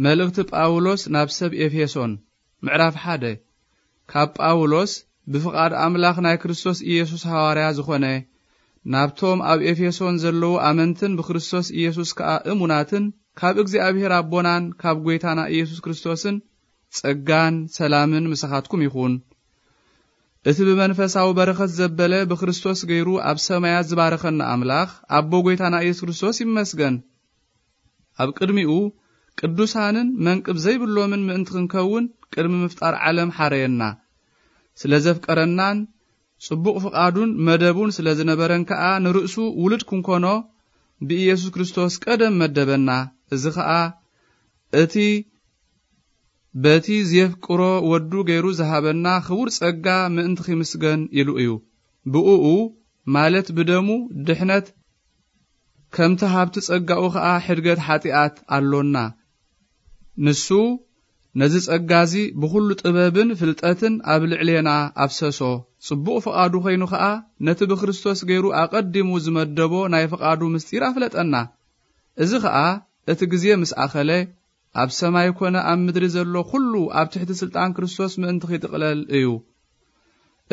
መልእኽቲ ጳውሎስ ናብ ሰብ ኤፌሶን። ምዕራፍ ሓደ። ካብ ጳውሎስ፣ ብፍቓድ ኣምላኽ ናይ ክርስቶስ ኢየሱስ ሃዋርያ ዝኾነ፣ ናብቶም ኣብ ኤፌሶን ዘለዉ ኣመንትን ብክርስቶስ ኢየሱስ ከኣ እሙናትን፣ ካብ እግዚኣብሔር ኣቦናን ካብ ጐይታና ኢየሱስ ክርስቶስን ጸጋን ሰላምን ምሳኻትኩም ይኹን። እቲ ብመንፈሳዊ በረኸት ዘበለ ብክርስቶስ ገይሩ ኣብ ሰማያት ዝባረኸና ኣምላኽ፣ ኣቦ ጐይታና ኢየሱስ ክርስቶስ ይመስገን። ኣብ ቅድሚኡ ቅዱሳንን መንቅብ ዘይብሎምን ምእንቲ ክንከውን ቅድሚ ምፍጣር ዓለም ሓረየና። ስለ ዘፍቀረናን ጽቡቕ ፍቓዱን መደቡን ስለ ዝነበረን ከኣ ንርእሱ ውሉድ ክንኮኖ ብኢየሱስ ክርስቶስ ቀደም መደበና። እዚ ኸኣ እቲ በቲ ዜፍቅሮ ወዱ ገይሩ ዝሃበና ክቡር ጸጋ ምእንቲ ኺምስገን ኢሉ እዩ። ብእኡ፣ ማለት ብደሙ፣ ድሕነት፣ ከምቲ ሃብቲ ጸጋኡ ኸኣ ሕድገት ሓጢኣት ኣሎና። ንሱ ነዚ ጸጋ እዚ ብኹሉ ጥበብን ፍልጠትን ኣብ ልዕሌና ኣፍሰሶ። ጽቡቕ ፍቓዱ ኾይኑ ኸኣ ነቲ ብክርስቶስ ገይሩ ኣቐዲሙ ዝመደቦ ናይ ፍቓዱ ምስጢር ኣፍለጠና። እዚ ኸኣ እቲ ግዜ ምስ ኣኸለ፣ ኣብ ሰማይ ኮነ ኣብ ምድሪ ዘሎ ኩሉ ኣብ ትሕቲ ስልጣን ክርስቶስ ምእንቲ ኺጥቕለል እዩ።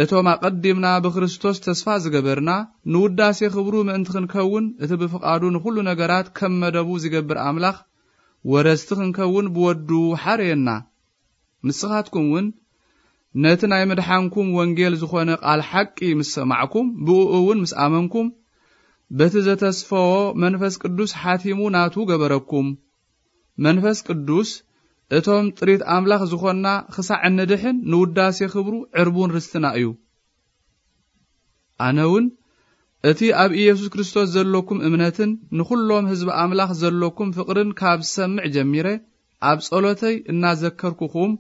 እቶም ኣቐዲምና ብክርስቶስ ተስፋ ዝገበርና፣ ንውዳሴ ክብሩ ምእንቲ ክንከውን፣ እቲ ብፍቓዱ ንኹሉ ነገራት ከም መደቡ ዝገብር ኣምላኽ፣ ወረስቲ ክንከውን ብወዱ ሓረየና። ንስኻትኩም እውን ነቲ ናይ ምድሓንኩም ወንጌል ዝኾነ ቃል ሓቂ ምስ ሰማዕኩም፣ ብእኡ እውን ምስ ኣመንኩም፣ በቲ ዘተስፈዎ መንፈስ ቅዱስ ሓቲሙ ናቱ ገበረኩም። መንፈስ ቅዱስ፣ እቶም ጥሪት ኣምላኽ ዝኾንና ክሳዕ እንድሕን ንውዳሴ ክብሩ ዕርቡን ርስትና እዩ። ኣነ እውን እቲ ኣብ ኢየሱስ ክርስቶስ ዘለኩም እምነትን ንኹሎም ህዝቢ ኣምላኽ ዘለኩም ፍቕርን ካብ ዝሰምዕ ጀሚረ፣ ኣብ ጸሎተይ እናዘከርኩኹም፣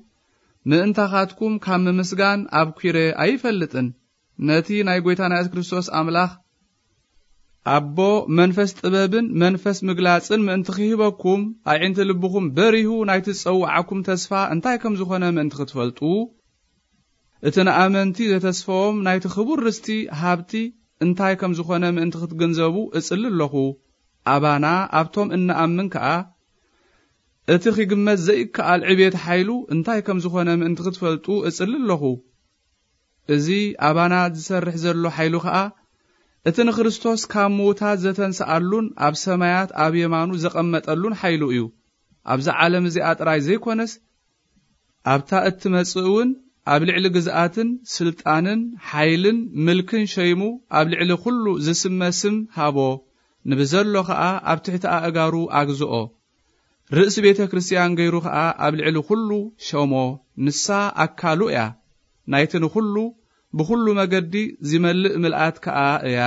ምእንታኻትኩም ካብ ምምስጋን ኣብኲረ ኣይፈልጥን። ነቲ ናይ ጐይታና የሱስ ክርስቶስ ኣምላኽ፣ ኣቦ፣ መንፈስ ጥበብን መንፈስ ምግላጽን ምእንቲ ኺህበኩም፣ ኣዒንቲ ልብኹም በሪሁ፣ ናይቲ ዝጸውዓኩም ተስፋ እንታይ ከም ዝኾነ ምእንቲ ክትፈልጡ፣ እቲ ንኣመንቲ ዘተስፈዎም ናይቲ ክቡር ርስቲ ሃብቲ እንታይ ከም ዝኾነ ምእንቲ ክትግንዘቡ እጽሊ ኣለኹ። ኣባና፣ ኣብቶም እንኣምን ከኣ፣ እቲ ኺግመት ዘይከኣል ዕቤት ሓይሉ እንታይ ከም ዝኾነ ምእንቲ ክትፈልጡ እጽሊ ኣለኹ። እዚ ኣባና ዝሰርሕ ዘሎ ሓይሉ ኸኣ፣ እቲ ንክርስቶስ ካብ ምዉታት ዘተንስኣሉን ኣብ ሰማያት ኣብ የማኑ ዘቐመጠሉን ሓይሉ እዩ። ኣብዛ ዓለም እዚኣ ጥራይ ዘይኮነስ፣ ኣብታ እትመጽእ እውን ኣብ ልዕሊ ግዝኣትን ስልጣንን ሓይልን ምልክን ሸይሙ ኣብ ልዕሊ ኩሉ ዝስመ ስም ሃቦ፣ ንብዘሎ ኸኣ ኣብ ትሕቲ ኣእጋሩ ኣግዝኦ። ርእሲ ቤተ ክርስቲያን ገይሩ ኸኣ ኣብ ልዕሊ ኩሉ ሸሞ። ንሳ ኣካሉ እያ፣ ናይቲ ንኹሉ ብኹሉ መገዲ ዚመልእ ምልኣት ከኣ እያ።